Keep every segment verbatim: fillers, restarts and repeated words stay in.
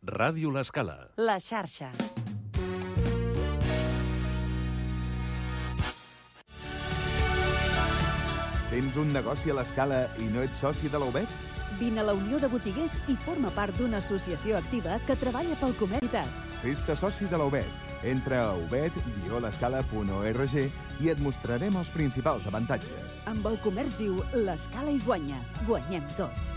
Ràdio L'Escala. La xarxa. Tens un negoci a l'Escala i no ets soci de la U B E T? Vine a la Unió de Botiguers i forma part d'una associació activa que treballa pel comerç. Fes-te soci de la U B E T. Entra a u b e t guió l'escala punt org i et mostrarem els principals avantatges. Amb el comerç viu, l'Escala hi guanya. Guanyem tots.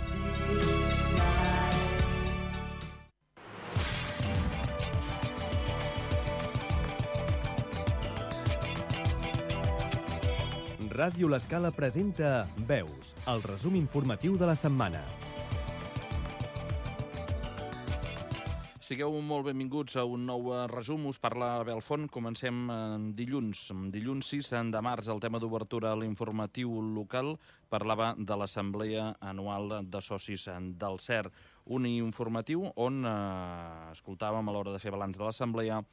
Ràdio L'Escala presenta Veus, el resum informatiu de la setmana. Sigueu molt benvinguts a un nou resum. Us parla Abel Font. Comencem dilluns. Dilluns sis de març, el tema d'obertura a l'informatiu local parlava de l'Assemblea Anual de Socis del C E R. Un informatiu on eh, escoltàvem a l'hora de fer balanç de l'Assemblea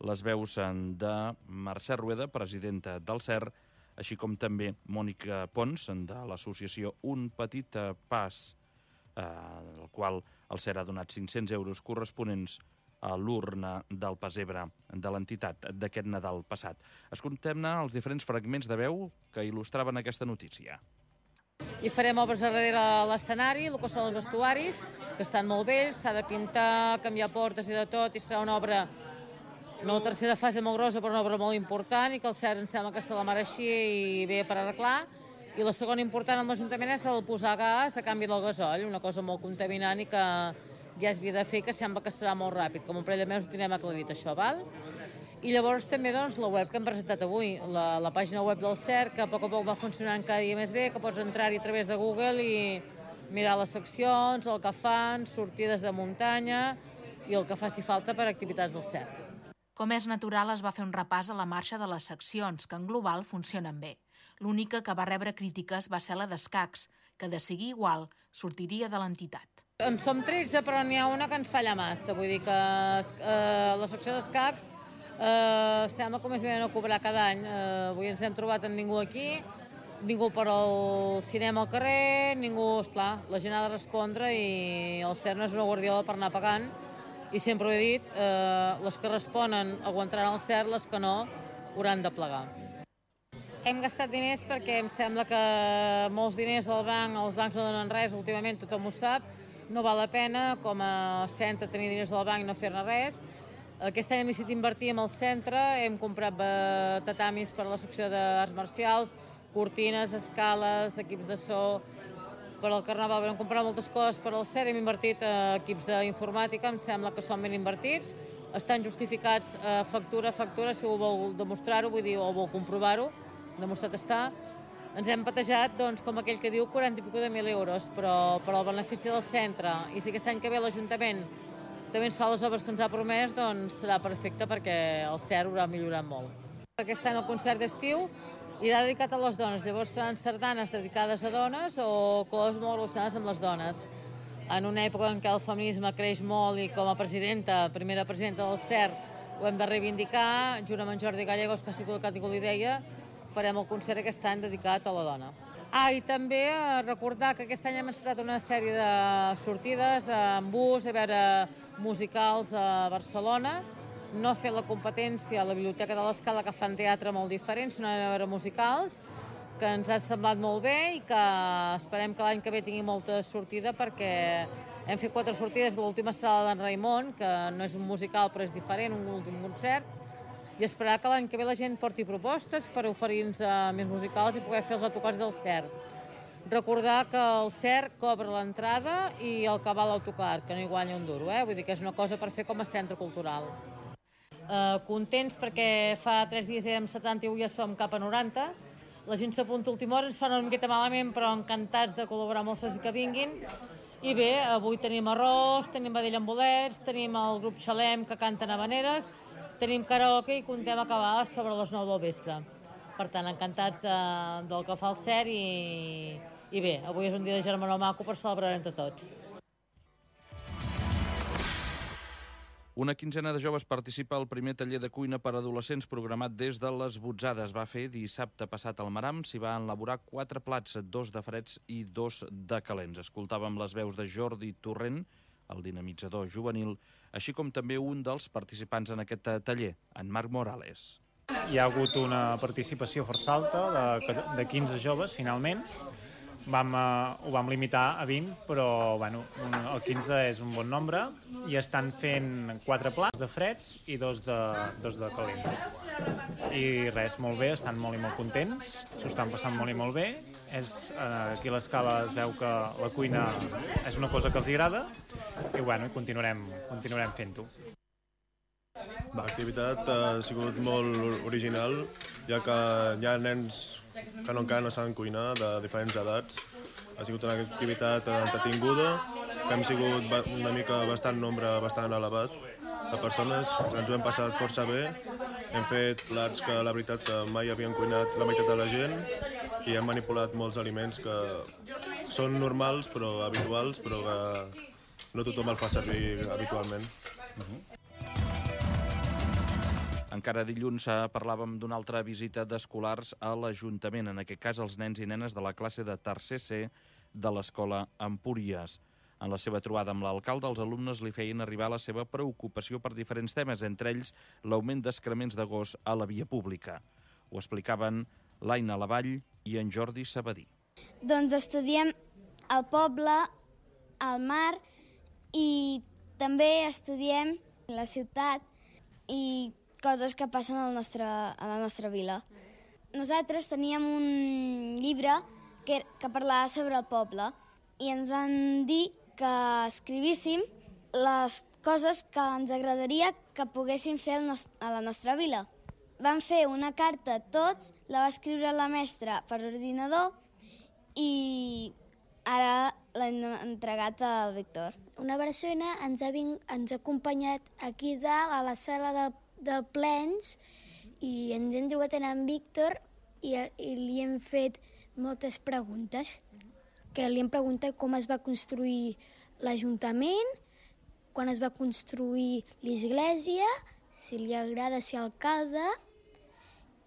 les veus de Mercè Rueda, presidenta del C E R, així com també Mònica Pons, de l'associació Un Petit Pas, eh, el qual el C E R ha donat cinc-cents euros corresponents a l'urna del pessebre de l'entitat d'aquest Nadal passat. Escoltem-ne els diferents fragments de veu que il·lustraven aquesta notícia. I farem obres a darrere l'escenari, el que són els vestuaris, que estan molt vells, s'ha de pintar, canviar portes i de tot, i serà una obra, no la tercera fase molt grossa, però una obra molt important, i que el C E R em sembla que se la mereixia i ve per arreglar. I la segona important amb l'Ajuntament és el posar gas a canvi del gasoll, una cosa molt contaminant i que ja es havia de fer, que sembla que serà molt ràpid. Com un parell de mesos ho tindrem aclarit, això, val? I llavors també doncs, la web que hem presentat avui, la, la pàgina web del C E R, que a poc a poc va funcionant cada dia més bé, que pots entrar-hi a través de Google i mirar les seccions, el que fan, sortides de muntanya i el que faci falta per activitats del C E R. Com és natural, es va fer un repàs a la marxa de les seccions, que en global funcionen bé. L'única que va rebre crítiques va ser la d'escacs, que de seguir igual sortiria de l'entitat. En som tretze, però n'hi ha una que ens falla massa. Vull dir que eh, la secció d'escacs eh, sembla que més venen a cobrar cada any. Eh, avui ens hem trobat amb ningú aquí, ningú per al cinema al carrer, ningú, esclar, la gent ha de respondre i el C E R no és una guardiola per anar pagant. I sempre ho he dit, eh, les que responen aguantaran el C E R, les que no hauran de plegar. Hem gastat diners perquè em sembla que molts diners al banc, els bancs no donen res, últimament tothom ho sap, no val la pena com a centre tenir diners al banc i no fer-ne res. Aquest any hem decidit invertir en el centre, hem comprat tatamis per a la secció d'arts marcials, cortines, escales, equips de so. Per al Carnaval vam comprar moltes coses per al C E R, hem invertit equips d'informàtica, em sembla que són ben invertits, estan justificats factura a factura, si ho vol demostrar-ho, vull dir, o vol comprovar-ho, demostrat està. Ens hem patejat, doncs, com aquell que diu, quaranta i pico de mil euros, però per al benefici del centre. I si aquest any que ve l'Ajuntament també ens fa les obres que ens ha promès, doncs serà perfecte perquè el C E R haurà millorat molt. Aquest any el concert d'estiu irà dedicat a les dones, llavors seran sardanes dedicades a dones o coses molt relacionades amb les dones. En una època en què el feminisme creix molt i com a presidenta, primera presidenta del C E R, ho hem de reivindicar, junt amb en Jordi Gallegos, que ha sigut el que ha idea, farem el concert aquest any dedicat a la dona. Ah, i també recordar que aquest any hem encetat una sèrie de sortides en bus, a veure musicals a Barcelona, no fer la competència a la Biblioteca de l'Escala, que fan teatre molt diferent, sinó a veure musicals, que ens ha semblat molt bé i que esperem que l'any que ve tingui molta sortida perquè hem fet quatre sortides de l'última sala d'en Raimon, que no és un musical però és diferent, un últim concert, i esperar que l'any que ve la gent porti propostes per oferir-nos més musicals i poder fer els autocars del C E R. Recordar que el C E R cobra l'entrada i el que val l'autocar, que no hi guanya un duro, eh? Vull dir que és una cosa per fer com a centre cultural. Uh, contents perquè fa tres dies érem setanta i avui ja som cap a noranta. La gent s'apunta a última hora, ens fa una miqueta malament, però encantats de col·laborar amb els socis que vinguin. I bé, avui tenim arròs, tenim vedella amb bolets, tenim el grup Xalem que canten habaneres, tenim karaoke i contem acabar sobre les nou del vespre. Per tant, encantats de, del que fa el C E R i, i bé, avui és un dia de germanor maco per celebrar entre tots. Una quinzena de joves participa al primer taller de cuina per a adolescents programat des de les Botzades. Va fer dissabte passat al Maram, s'hi va elaborar quatre plats, dos de freds i dos de calents. Escoltàvem les veus de Jordi Torrent, el dinamitzador juvenil, així com també un dels participants en aquest taller, en Marc Morales. Hi ha hagut una participació força alta de, de quinze joves, finalment. Vam, uh, ho vam limitar a vint, però bueno, un, el quinze és un bon nombre i estan fent quatre plats de freds i dos de, dos de calents. I res, molt bé, estan molt i molt contents, s'ho estan passant molt i molt bé. És, uh, aquí a l'Escala es veu que la cuina és una cosa que els agrada i bueno, continuarem, continuarem fent-ho. L'activitat ha sigut molt original, ja que hi ha nens que no, encara no saben cuinar, de diferents edats. Ha sigut una activitat entretinguda, que hem sigut una mica bastant nombre bastant elevat de persones, ens ho hem passat força bé. Hem fet plats que la veritat que mai havien cuinat la meitat de la gent i hem manipulat molts aliments que són normals, però habituals, però que no tothom el fa servir habitualment. Uh-huh. Encara dilluns parlàvem d'una altra visita d'escolars a l'Ajuntament, en aquest cas els nens i nenes de la classe de tercer C de l'Escola Empúries. En la seva trobada amb l'alcalde, els alumnes li feien arribar la seva preocupació per diferents temes, entre ells l'augment d'excrements de gos a la via pública. Ho explicaven l'Aina Lavall i en Jordi Sabadí. Doncs estudiem el poble, el mar i també estudiem la ciutat i coses que passen al nostre, a la nostra vila. Nosaltres teníem un llibre que, que parlava sobre el poble i ens van dir que escrivíssim les coses que ens agradaria que poguéssim fer a la nostra vila. Vam fer una carta tots, la va escriure la mestra per ordinador i ara l'hem entregat al Víctor. Una persona ens ha, ving, ens ha acompanyat aquí dalt a la sala de del plens i ens hem trobat en en Víctor i, i li hem fet moltes preguntes. Que li hem preguntat com es va construir l'Ajuntament, quan es va construir l'església, si li agrada ser alcalde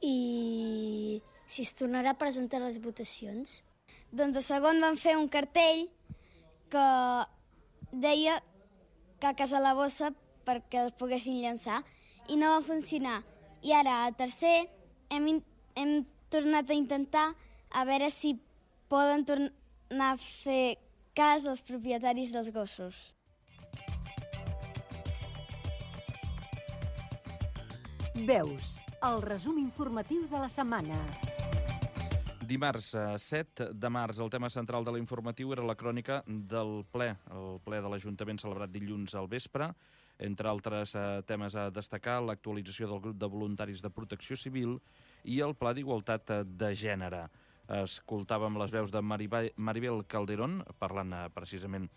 i si es tornarà a presentar les votacions. Doncs a segon vam fer un cartell que deia caques a la bossa perquè el poguessin llançar i no va funcionar. I ara, a tercer, hem, hem tornat a intentar a veure si poden tornar a fer cas als propietaris dels gossos. Veus, el resum informatiu de la setmana. Dimarts set de març, el tema central de l'informatiu era la crònica del ple, el ple de l'Ajuntament celebrat dilluns al vespre. Entre altres eh, temes a destacar, l'actualització del grup de voluntaris de protecció civil i el Pla d'Igualtat de Gènere. Escoltàvem les veus de Maribel Calderón, parlant eh, precisament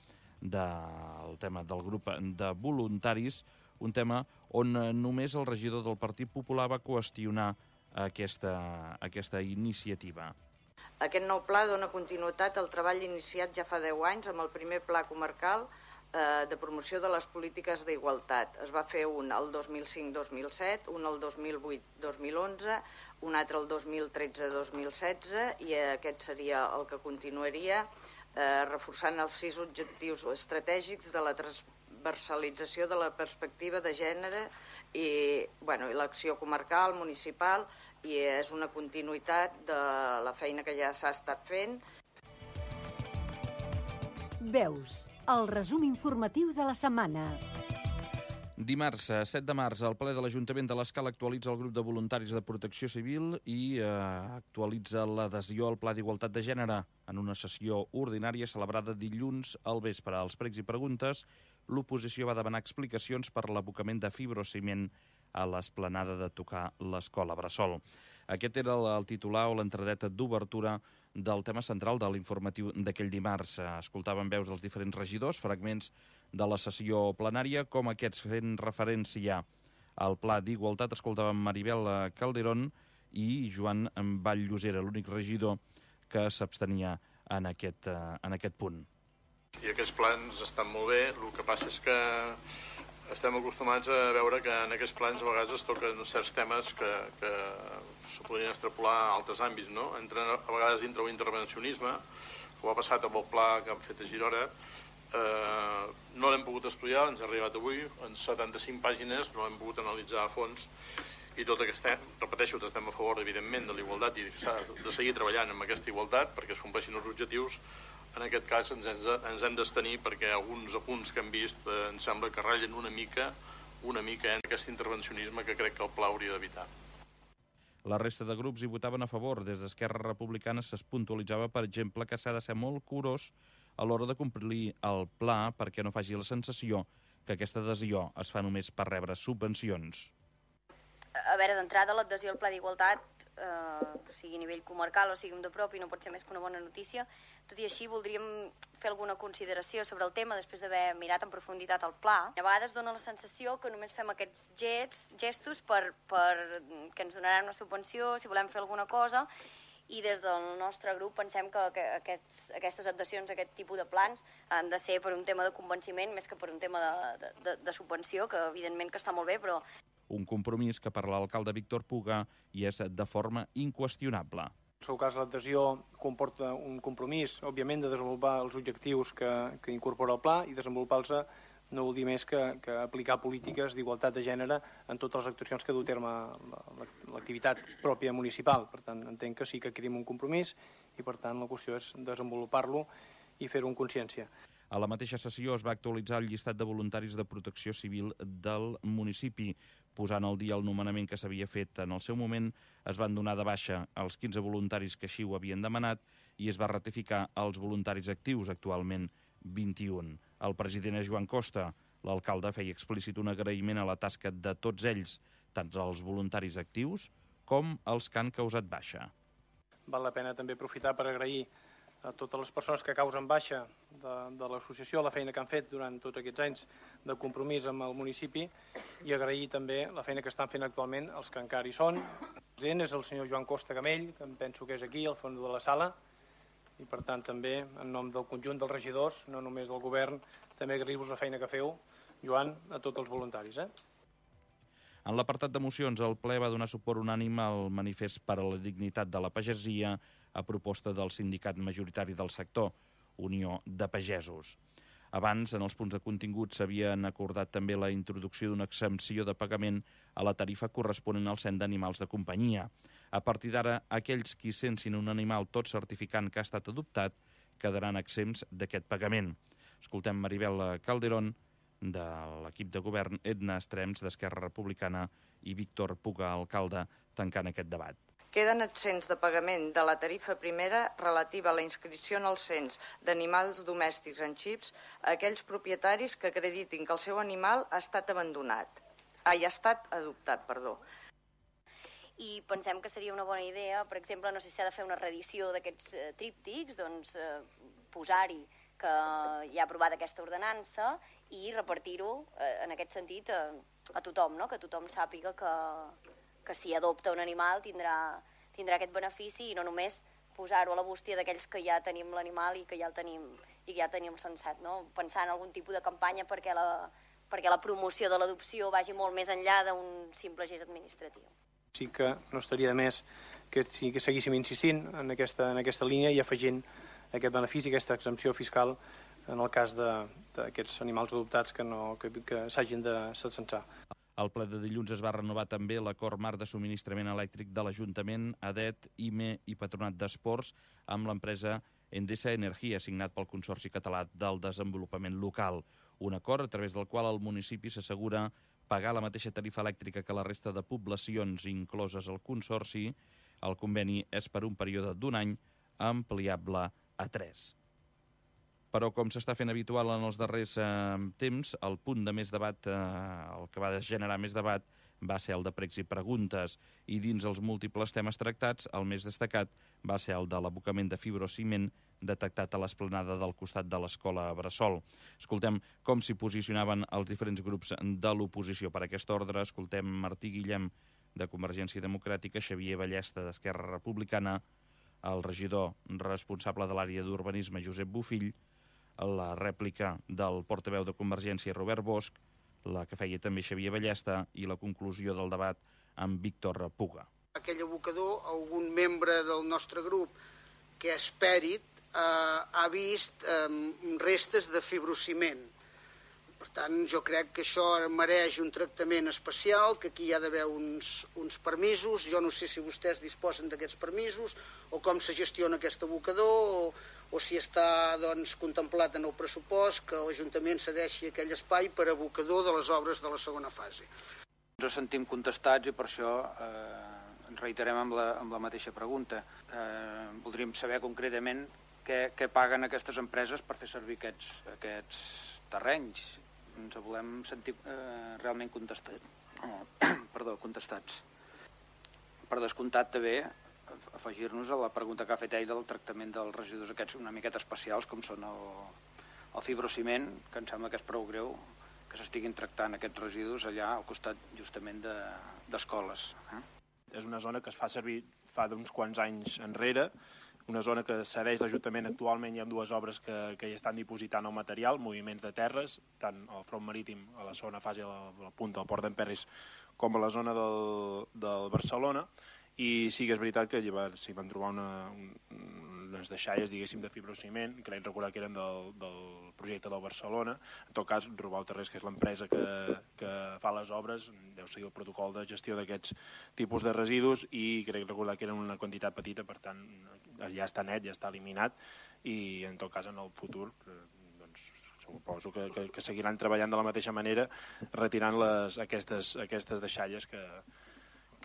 del tema del grup de voluntaris, un tema on eh, només el regidor del Partit Popular va qüestionar aquesta, aquesta iniciativa. Aquest nou pla dona continuïtat al treball iniciat ja fa deu anys amb el primer pla comarcal de promoció de les polítiques d'igualtat. Es va fer un el dos mil cinc dos mil set, un el dos mil vuit dos mil onze, un altre el dos mil tretze dos mil setze i aquest seria el que continuaria, eh, reforçant els sis objectius estratègics de la transversalització de la perspectiva de gènere i, bueno, i l'acció comarcal, municipal, i és una continuïtat de la feina que ja s'ha estat fent. Veus, el resum informatiu de la setmana. Dimarts, set de març, el ple de l'Ajuntament de l'Escala actualitza el grup de voluntaris de protecció civil i eh, actualitza l'adhesió al Pla d'Igualtat de Gènere en una sessió ordinària celebrada dilluns al vespre. Als pregs i preguntes, l'oposició va demanar explicacions per l'abocament de fibrociment a l'esplanada de tocar l'Escola Bressol. Aquest era el titular o l'entradeta d'obertura del tema central de l'informatiu d'aquell dimarts. Escoltàvem veus dels diferents regidors, fragments de la sessió plenària, com aquests fent referència al Pla d'Igualtat. Escoltàvem Maribel Calderón i Joan Vall-Llosera, l'únic regidor que s'abstenia en aquest, en aquest punt. I aquests plans estan molt bé, el que passa és que estem acostumats a veure que en aquests plans a vegades es toquen certs temes que, que se podrien extrapolar a altres àmbits, no? Entren a vegades dintre un intervencionisme, com ha passat amb el pla que han fet a Girona, eh, no l'hem pogut pogut estudiar, ens ha arribat avui, en setanta-cinc pàgines, no hem pogut analitzar a fons, i tot aquest, repeteixo, estem a favor, evidentment, de la igualtat i s'ha de seguir treballant amb aquesta igualtat perquè es compleixin els objectius. En aquest cas ens, ens hem d'abstenir perquè alguns apunts que hem vist eh, ens sembla que ratllen una mica, una mica en aquest intervencionisme que crec que el Pla hauria d'evitar. La resta de grups hi votaven a favor. Des d'Esquerra Republicana es puntualitzava, per exemple, que s'ha de ser molt curós a l'hora de complir el pla perquè no faci la sensació que aquesta adhesió es fa només per rebre subvencions. A veure, d'entrada, l'adhesió al Pla d'Igualtat, eh, sigui a nivell comarcal o sigui de propi, no pot ser més que una bona notícia. Tot i així, voldríem fer alguna consideració sobre el tema després d'haver mirat en profunditat el pla. A vegades dona la sensació que només fem aquests gest, gestos per, per que ens donaran una subvenció, si volem fer alguna cosa, i des del nostre grup pensem que, que aquests, aquestes adhesions, aquest tipus de plans, han de ser per un tema de convenciment més que per un tema de, de, de subvenció, que evidentment que està molt bé, però... Un compromís que per l'alcalde Víctor Puga hi és de forma inqüestionable. En el seu cas, l'adhesió comporta un compromís, òbviament, de desenvolupar els objectius que, que incorpora el pla i desenvolupar-los no vol dir més que, que aplicar polítiques d'igualtat de gènere en totes les actuacions que du a terme l'activitat pròpia municipal. Per tant, entenc que sí que adquirim un compromís i, per tant, la qüestió és desenvolupar-lo i fer-ho en consciència. A la mateixa sessió es va actualitzar el llistat de voluntaris de protecció civil del municipi. Posant al dia el nomenament que s'havia fet en el seu moment, es van donar de baixa els quinze voluntaris que així ho havien demanat i es va ratificar els voluntaris actius, actualment vint-i-un. El president és Joan Costa. L'alcalde feia explícit un agraïment a la tasca de tots ells, tant els voluntaris actius com els que han causat baixa. Val la pena també aprofitar per agrair a totes les persones que causen baixa de, de l'associació la feina que han fet durant tots aquests anys de compromís amb el municipi i agrair també la feina que estan fent actualment els que encara hi són. El president és el senyor Joan Costa Gamell, que em penso que és aquí, al fons de la sala, i per tant també en nom del conjunt dels regidors, no només del govern, també agrair-vos la feina que feu, Joan, a tots els voluntaris. Eh? En l'apartat de mocions, el ple va donar suport unànime al manifest per a la dignitat de la pagesia a proposta del sindicat majoritari del sector, Unió de Pagesos. Abans, en els punts de contingut, s'havien acordat també la introducció d'una exempció de pagament a la tarifa corresponent al cens d'animals de companyia. A partir d'ara, aquells qui sensin un animal tot certificant que ha estat adoptat quedaran exempts d'aquest pagament. Escoltem Maribel Calderón, de l'equip de govern, Edna Estrems, d'Esquerra Republicana, i Víctor Puga, alcalde, tancant aquest debat. Queden exempts de pagament de la tarifa primera relativa a la inscripció en el cens d'animals domèstics en xips a aquells propietaris que acreditin que el seu animal ha estat abandonat. Ah, ha estat adoptat, perdó. I pensem que seria una bona idea, per exemple, no sé si s'ha de fer una reedició d'aquests eh, tríptics, doncs eh, posar-hi que hi ha aprovat aquesta ordenança i repartir-ho eh, en aquest sentit a, a tothom, no? Que tothom sàpiga que, que si adopta un animal tindrà, tindrà aquest benefici i no només posar-ho a la bústia d'aquells que ja tenim l'animal i que ja el tenim, i que ja tenim censat, no? Pensar en algun tipus de campanya perquè la, perquè la promoció de l'adopció vagi molt més enllà d'un simple gest administratiu. Sí que no estaria de més que, sí, que seguíssim insistint en aquesta, en aquesta línia i afegint aquest benefici, aquesta exempció fiscal en el cas d'aquests animals adoptats que, no, que, que s'hagin de censar. Al ple de dilluns es va renovar també l'acord marc de subministrament elèctric de l'Ajuntament, A D E T, I M E i Patronat d'Esports amb l'empresa Endesa Energia, signat pel Consorci Català del Desenvolupament Local. Un acord a través del qual el municipi s'assegura pagar la mateixa tarifa elèctrica que la resta de poblacions incloses al Consorci. El conveni és per un període d'un any ampliable a tres. Però, com s'està fent habitual en els darrers eh, temps, el punt de més debat, eh, el que va generar més debat, va ser el de pregs i preguntes. I dins els múltiples temes tractats, el més destacat va ser el de l'abocament de fibrociment detectat a l'esplanada del costat de l'escola Bressol. Escoltem com s'hi posicionaven els diferents grups de l'oposició per aquest ordre. Escoltem Martí Guillem, de Convergència Democràtica, Xavier Ballesta, d'Esquerra Republicana, el regidor responsable de l'àrea d'urbanisme, Josep Bofill, la rèplica del portaveu de Convergència, Robert Bosch, la que feia també Xavier Ballesta, i la conclusió del debat amb Víctor Puga. Aquell abocador, algun membre del nostre grup que és pèrit, eh, ha vist eh, restes de fibrociment. Per tant, jo crec que això mereix un tractament especial, que aquí hi ha d'haver uns, uns permisos. Jo no sé si vostès disposen d'aquests permisos o com se gestiona aquest abocador o, o si està doncs, contemplat en el pressupost que l'Ajuntament cedeixi aquell espai per abocador de les obres de la segona fase. Ens sentim contestats i per això eh, ens reiterem amb la, amb la mateixa pregunta. Eh, voldríem saber concretament què, què paguen aquestes empreses per fer servir aquests, aquests terrenys. Ens volem sentir eh, realment contestat, eh, perdó, contestats. Per descomptat, també, afegir-nos a la pregunta que ha fet ell del tractament dels residus aquests una miqueta especials, com són el, el fibrociment, que em sembla que és prou greu que s'estiguin tractant aquests residus allà al costat justament d'escoles. De, eh? És una zona que es fa servir fa d'uns quants anys enrere, una zona que cedeix l'Ajuntament actualment. Hi ha dues obres que, que hi estan dipositant el material, moviments de terres, tant al front marítim, a la segona fase, a la, a la punta del Port d'Emperris, com a la zona del, del Barcelona, i sí que és veritat que s'hi van trobar una, un, unes deixalles, diguéssim, de fibrociment, crec recordar que eren del, del projecte del Barcelona. En tot cas, Robau Terrés, que és l'empresa que, que fa les obres, deu seguir el protocol de gestió d'aquests tipus de residus, i crec recordar que eren una quantitat petita, per tant, ja està net, ja està eliminat, i en tot cas, en el futur, doncs, suposo que, que, que seguiran treballant de la mateixa manera, retirant les, aquestes, aquestes deixalles que,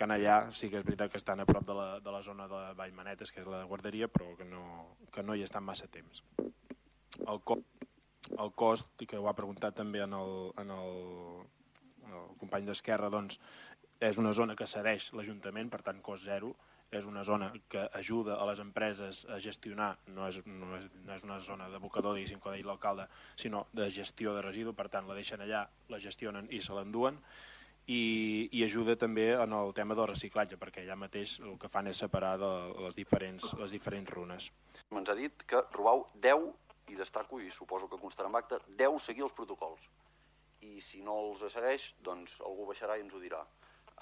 que allà sí que és veritat que estan a prop de la, de la zona de Vallmanetes, que és la guarderia, però que no, que no hi estan massa temps. El, co el cost, que ho ha preguntat també en el, en el, el company d'Esquerra, doncs, és una zona que cedeix l'Ajuntament, per tant, cost zero. És una zona que ajuda a les empreses a gestionar, no és, no és, no és una zona d'abocador, diguéssim, com ha dit l'alcalde, sinó de gestió de residu, per tant, la deixen allà, la gestionen i se l'enduen. I, i ajuda també en el tema del reciclatge, perquè allà mateix el que fan és separar de les diferents, les diferents runes. Ens ha dit que Robau deu, i destaco, i suposo que constarà en acte, deu seguir els protocols. I si no els segueix, doncs algú baixarà i ens ho dirà.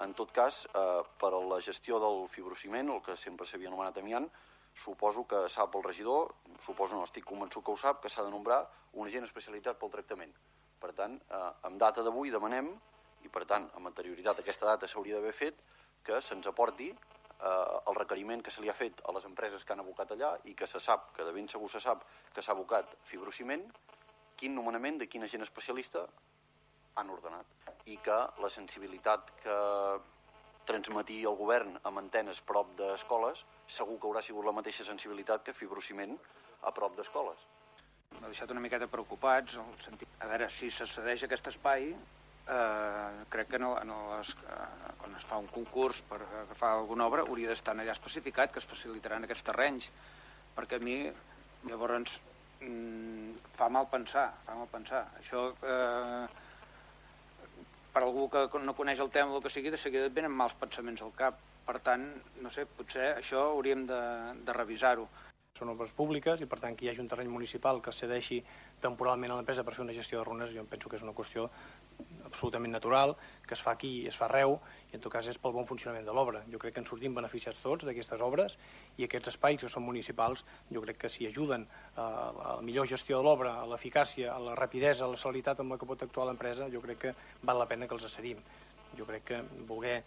En tot cas, eh, per a la gestió del fibrociment, el que sempre s'havia anomenat amiant, suposo que sap el regidor, suposo no, estic convençut que ho sap, que s'ha de nombrar un agent especialitzat pel tractament. Per tant, eh, amb data d'avui demanem, i per tant, amb anterioritat aquesta data s'hauria d'haver fet, que se'ns aporti eh, el requeriment que se li ha fet a les empreses que han abocat allà i que se sap, que de ben segur se sap que s'ha abocat fibrociment, quin nomenament de quin agent especialista han ordenat i que la sensibilitat que transmetia el govern amb antenes prop d'escoles segur que haurà sigut la mateixa sensibilitat que fibrociment a prop d'escoles. M'ha deixat una miqueta preocupats, el sentit... a veure, si se cedeix aquest espai, eh, crec que no, no les, eh, quan es fa un concurs per agafar alguna obra hauria d'estar allà especificat que es facilitaran aquests terrenys, perquè a mi llavors mm, fa mal pensar, fa mal pensar. Això, eh, per algú que no coneix el tema o el que sigui, de seguida et venen mals pensaments al cap. Per tant, no sé, potser això hauríem de, de revisar-ho. Són obres públiques i, per tant, que hi hagi un terreny municipal que es cedeixi temporalment a l'empresa per fer una gestió de runes, jo penso que és una qüestió absolutament natural, que es fa aquí i es fa arreu, i en tot cas és pel bon funcionament de l'obra. Jo crec que ens sortim beneficiats tots d'aquestes obres i aquests espais que són municipals, jo crec que si ajuden a la millor gestió de l'obra, a l'eficàcia, a la rapidesa, a la celeritat amb la que pot actuar l'empresa, jo crec que val la pena que els cedim. Jo crec que voler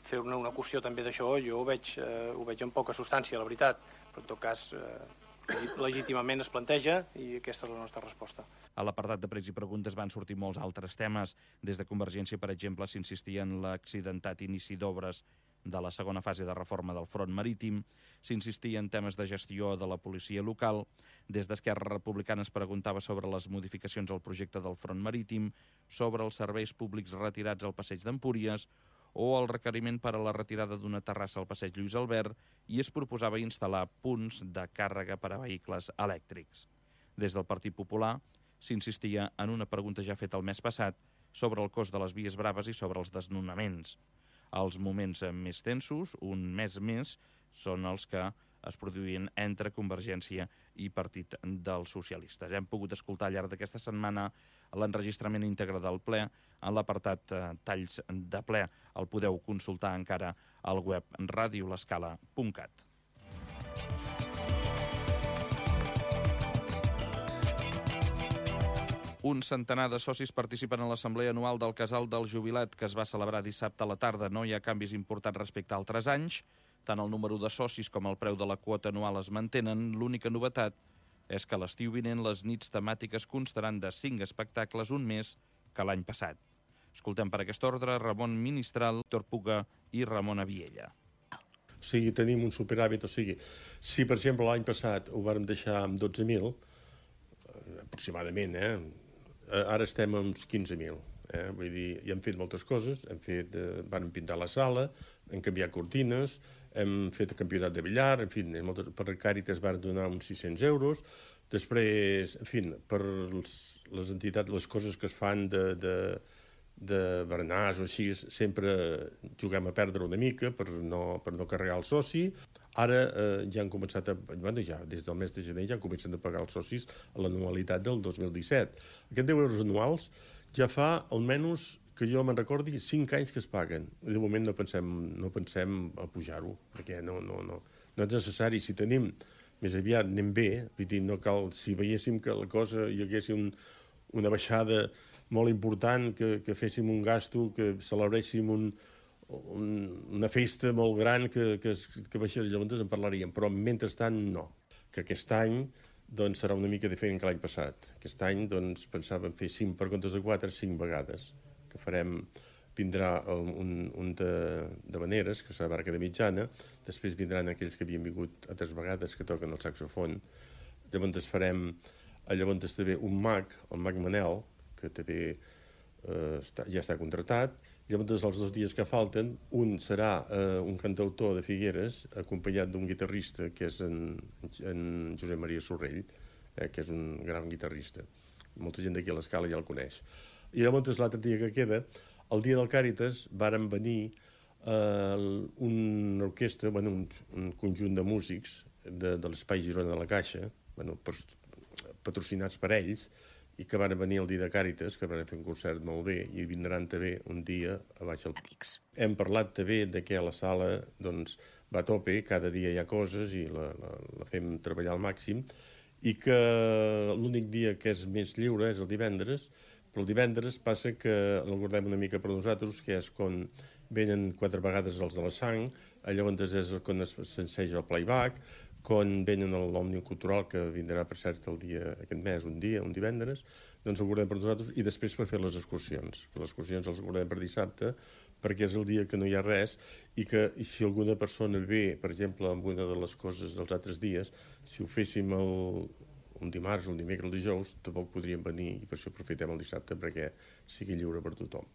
fer una, una qüestió també d'això, jo ho veig, eh, ho veig amb poca substància, la veritat, però en tot cas eh, legítimament es planteja i aquesta és la nostra resposta. A l'apartat de pregs i preguntes van sortir molts altres temes. Des de Convergència, per exemple, s'insistia en l'accidentat inici d'obres de la segona fase de reforma del front marítim, s'insistia en temes de gestió de la policia local, des d'Esquerra Republicana es preguntava sobre les modificacions al projecte del front marítim, sobre els serveis públics retirats al passeig d'Empúries o el requeriment per a la retirada d'una terrassa al passeig Lluís Albert, i es proposava instal·lar punts de càrrega per a vehicles elèctrics. Des del Partit Popular s'insistia en una pregunta ja feta el mes passat sobre el cost de les vies braves i sobre els desnonaments. Els moments més tensos, un mes més, són els que es produïen entre Convergència i Partit dels Socialistes. Hem pogut escoltar al llarg d'aquesta setmana l'enregistrament íntegre del ple en l'apartat eh, Talls de ple. El podeu consultar encara al web radio l'escala punt cat. Un centenar de socis participen en l'assemblea anual del Casal del Jubilat, que es va celebrar dissabte a la tarda. No hi ha canvis importants respecte a altres anys. Tant el número de socis com el preu de la quota anual es mantenen. L'única novetat és que l'estiu vinent les nits temàtiques constaran de cinc espectacles, un més que l'any passat. Escoltem per aquest ordre Ramon Ministral, Víctor Puga i Ramon Aviella. O sigui, tenim un superàvit, o sigui, si per exemple l'any passat ho vàrem deixar amb dotze mil, aproximadament, eh? Ara estem amb uns quinze mil. Eh? Vull dir, ja hem fet moltes coses, hem fet, eh, vam pintar la sala, hem canviat cortines, hem fet el campionat de billar, en fi, moltes, per Càritas van donar uns sis-cents euros, després, en fi, per els, les entitats, les coses que es fan de, de, de berenars o així, sempre juguem a perdre una mica per no, per no carregar el soci. Ara eh, ja han començat a... Bueno, ja, des del mes de gener ja comencen a pagar els socis a l'anualitat del dos mil disset. Aquests deu euros anuals ja fa almenys, que jo me'n recordi, cinc anys que es paguen. De moment no pensem, no pensem a pujar-ho, perquè no, no, no, no és necessari. Si tenim, més aviat anem bé, vull dir, no cal, si veiéssim que la cosa hi hagués un, una baixada molt important, que, que féssim un gasto, que celebréssim un, un, una festa molt gran que, que, que baixés, llavors en parlaríem, però mentrestant no. Que aquest any doncs, serà una mica diferent que l'any passat. Aquest any doncs, pensàvem fer cinc per comptes de quatre, cinc vegades, que farem, vindrà un, un de, de Vaneres, que serà Barca de Mitjana, després vindran aquells que havien vingut altres vegades, que toquen el saxofon, llavors farem, llavors també un mag, el mag Manel, que també eh, està, ja està contratat. Llavors, els dos dies que falten, un serà eh, un cantautor de Figueres, acompanyat d'un guitarrista, que és en, en Josep Maria Sorrell, eh, que és un gran guitarrista. Molta gent d'aquí a l'Escala ja el coneix. I llavors, l'altre dia que queda, el dia del Càritas, varen venir eh, una orquestra, bueno, un, un conjunt de músics de, de l'Espai Girona de la Caixa, bueno, patrocinats per ells, i que van venir el dia de Càritas, que van fer un concert molt bé, i vindran també un dia a baix al... Hem parlat també de que a la sala doncs, va a tope, cada dia hi ha coses i la, la, la fem treballar al màxim, i que l'únic dia que és més lliure és el divendres, però el divendres passa que el guardem una mica per nosaltres, que és quan venen quatre vegades els de la sang, llavors és quan s'enseja el playback, quan venen a l'Òmnium Cultural, que vindrà per cert el dia, aquest mes, un dia, un divendres, doncs el guardem per nosaltres, i després per fer les excursions, que les excursions els guardem per dissabte, perquè és el dia que no hi ha res, i que si alguna persona ve, per exemple, amb una de les coses dels altres dies, si ho féssim el, un dimarts, un dimecres, el dijous, tampoc podríem venir, i per això aprofitem el dissabte, perquè sigui lliure per tothom.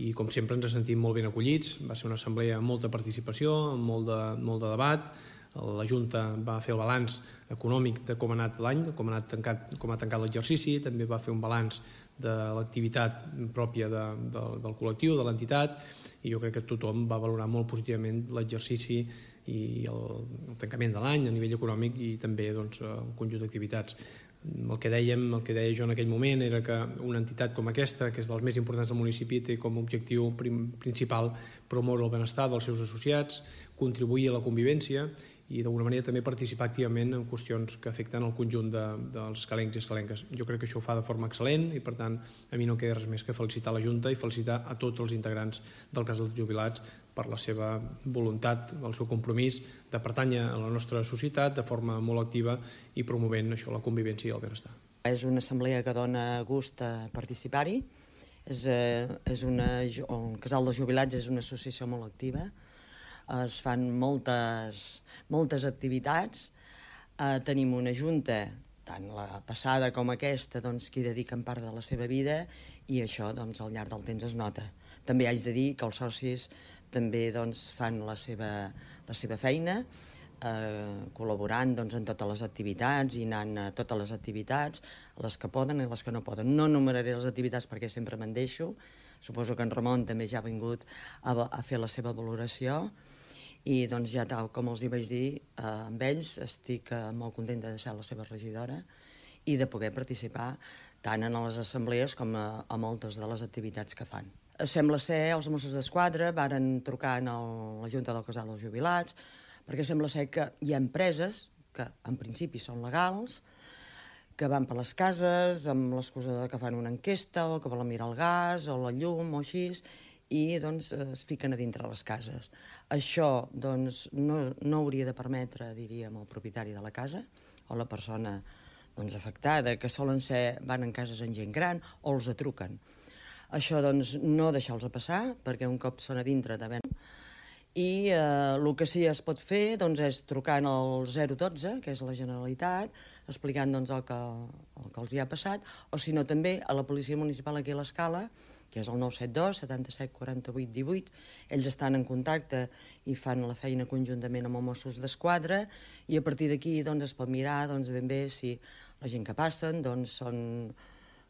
I com sempre ens sentim molt ben acollits, va ser una assemblea amb molta participació, amb molt de, molt de debat. La Junta va fer el balanç econòmic de com ha anat l'any, com ha anat tancat, com ha tancat l'exercici, també va fer un balanç de l'activitat pròpia de, de, del col·lectiu, de l'entitat, i jo crec que tothom va valorar molt positivament l'exercici i el, el tancament de l'any a nivell econòmic i també doncs, el conjunt d'activitats. El que dèiem, el que deia jo en aquell moment era que una entitat com aquesta, que és dels més importants del municipi, té com a objectiu principal promoure el benestar dels seus associats, contribuir a la convivència i d'alguna manera també participar activament en qüestions que afecten el conjunt de, dels escalencs i escalenques. Jo crec que això ho fa de forma excel·lent i per tant a mi no queda res més que felicitar la Junta i felicitar a tots els integrants del Casal dels Jubilats per la seva voluntat, el seu compromís de pertànyer a la nostra societat de forma molt activa i promovent això, la convivència i el benestar. És una assemblea que dona gust a participar-hi. És, és una, el Casal dels Jubilats és una associació molt activa. Es fan moltes, moltes activitats. Eh, tenim una junta, tant la passada com aquesta, doncs, que hi dediquen part de la seva vida i això doncs, al llarg del temps es nota. També haig de dir que els socis també doncs, fan la seva, la seva feina, eh, col·laborant doncs, en totes les activitats i anant a totes les activitats, les que poden i les que no poden. No enumeraré les activitats perquè sempre me'n deixo. Suposo que en Ramon també ja ha vingut a, a fer la seva valoració. I doncs ja tal com els hi vaig dir, eh, amb ells estic eh, molt contenta de ser la seva regidora i de poder participar tant en les assemblees com a, a moltes de les activitats que fan. Sembla ser, els Mossos d'Esquadra varen trucar a la Junta del Casal dels Jubilats perquè sembla ser que hi ha empreses que en principi són legals que van per les cases amb l'excusa que fan una enquesta o que volen mirar el gas o la llum o així, i doncs es fiquen a dintre les cases. Això doncs, no, no hauria de permetre, diríem, el propietari de la casa o la persona doncs, afectada, que solen ser, van en cases amb gent gran o els atruquen. Això doncs, no deixar-los passar, perquè un cop són a dintre de ben. I eh, el que sí es pot fer doncs, és trucant al zero dotze, que és la Generalitat, explicant doncs, el, que, el que els hi ha passat, o si no també a la Policia Municipal aquí a l'Escala, que és el nou set dos, setanta-set, quaranta-vuit, divuit. Ells estan en contacte i fan la feina conjuntament amb els Mossos d'Esquadra, i a partir d'aquí doncs, es pot mirar doncs, ben bé si la gent que passen doncs, són,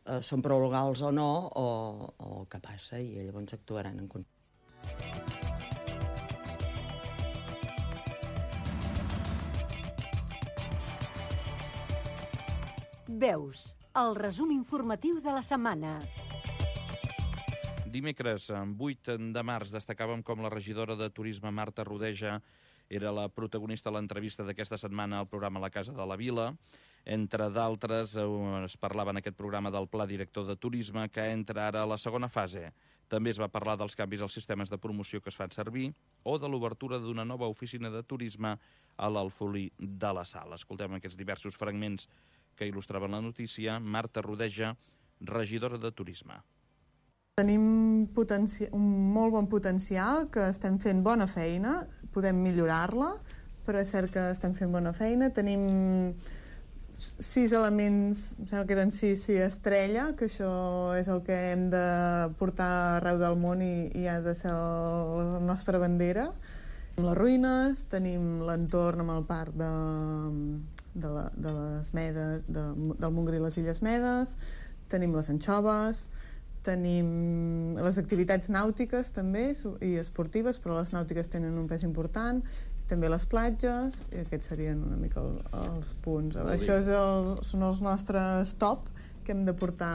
eh, són prou legals o no, o, o el que passa, i llavors actuaran en conjunt. Veus, el resum informatiu de la setmana. Dimecres, vuit de març, destacàvem com la regidora de Turisme, Marta Rodeja, era la protagonista de l'entrevista d'aquesta setmana al programa La Casa de la Vila. Entre d'altres, es parlava en aquest programa del Pla Director de Turisme, que entra ara a la segona fase. També es va parlar dels canvis als sistemes de promoció que es fan servir o de l'obertura d'una nova oficina de turisme a l'Alfolí de la Sal. Escoltem aquests diversos fragments que il·lustraven la notícia. Marta Rodeja, regidora de Turisme. Tenim un molt bon potencial, que estem fent bona feina, podem millorar-la, però és cert que estem fent bona feina. Tenim sis elements, em sembla que eren sis, sí, estrella, que això és el que hem de portar arreu del món i, i ha de ser la nostra bandera. Tenim les ruïnes, tenim l'entorn amb el parc de, de, la, de les Medes, de, del Montgrí i les Illes Medes, tenim les anxoves, tenim les activitats nàutiques també i esportives, però les nàutiques tenen un pes important, també les platges, i aquests serien una mica el, els punts. Això és el, són els nostres top que hem de portar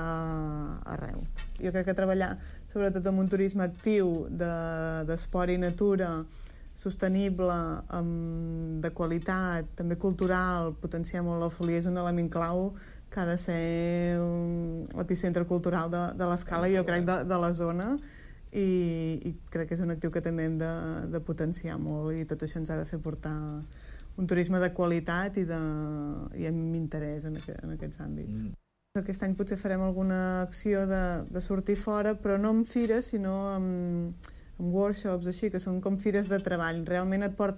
arreu. Jo crec que treballar sobretot amb un turisme actiu d'esport i natura, sostenible, amb, de qualitat, també cultural, potenciar molt l'Alfolí és un element clau que ha de ser l'epicentre cultural de, de l'Escala, jo crec, de, de la zona, i, i crec que és un actiu que també hem de, de potenciar molt, i tot això ens ha de fer portar un turisme de qualitat i, de, i amb interès en, aquest, en aquests àmbits. Mm. Aquest any potser farem alguna acció de, de sortir fora, però no amb fires, sinó amb, amb workshops, així, que són com fires de treball. Realment et porten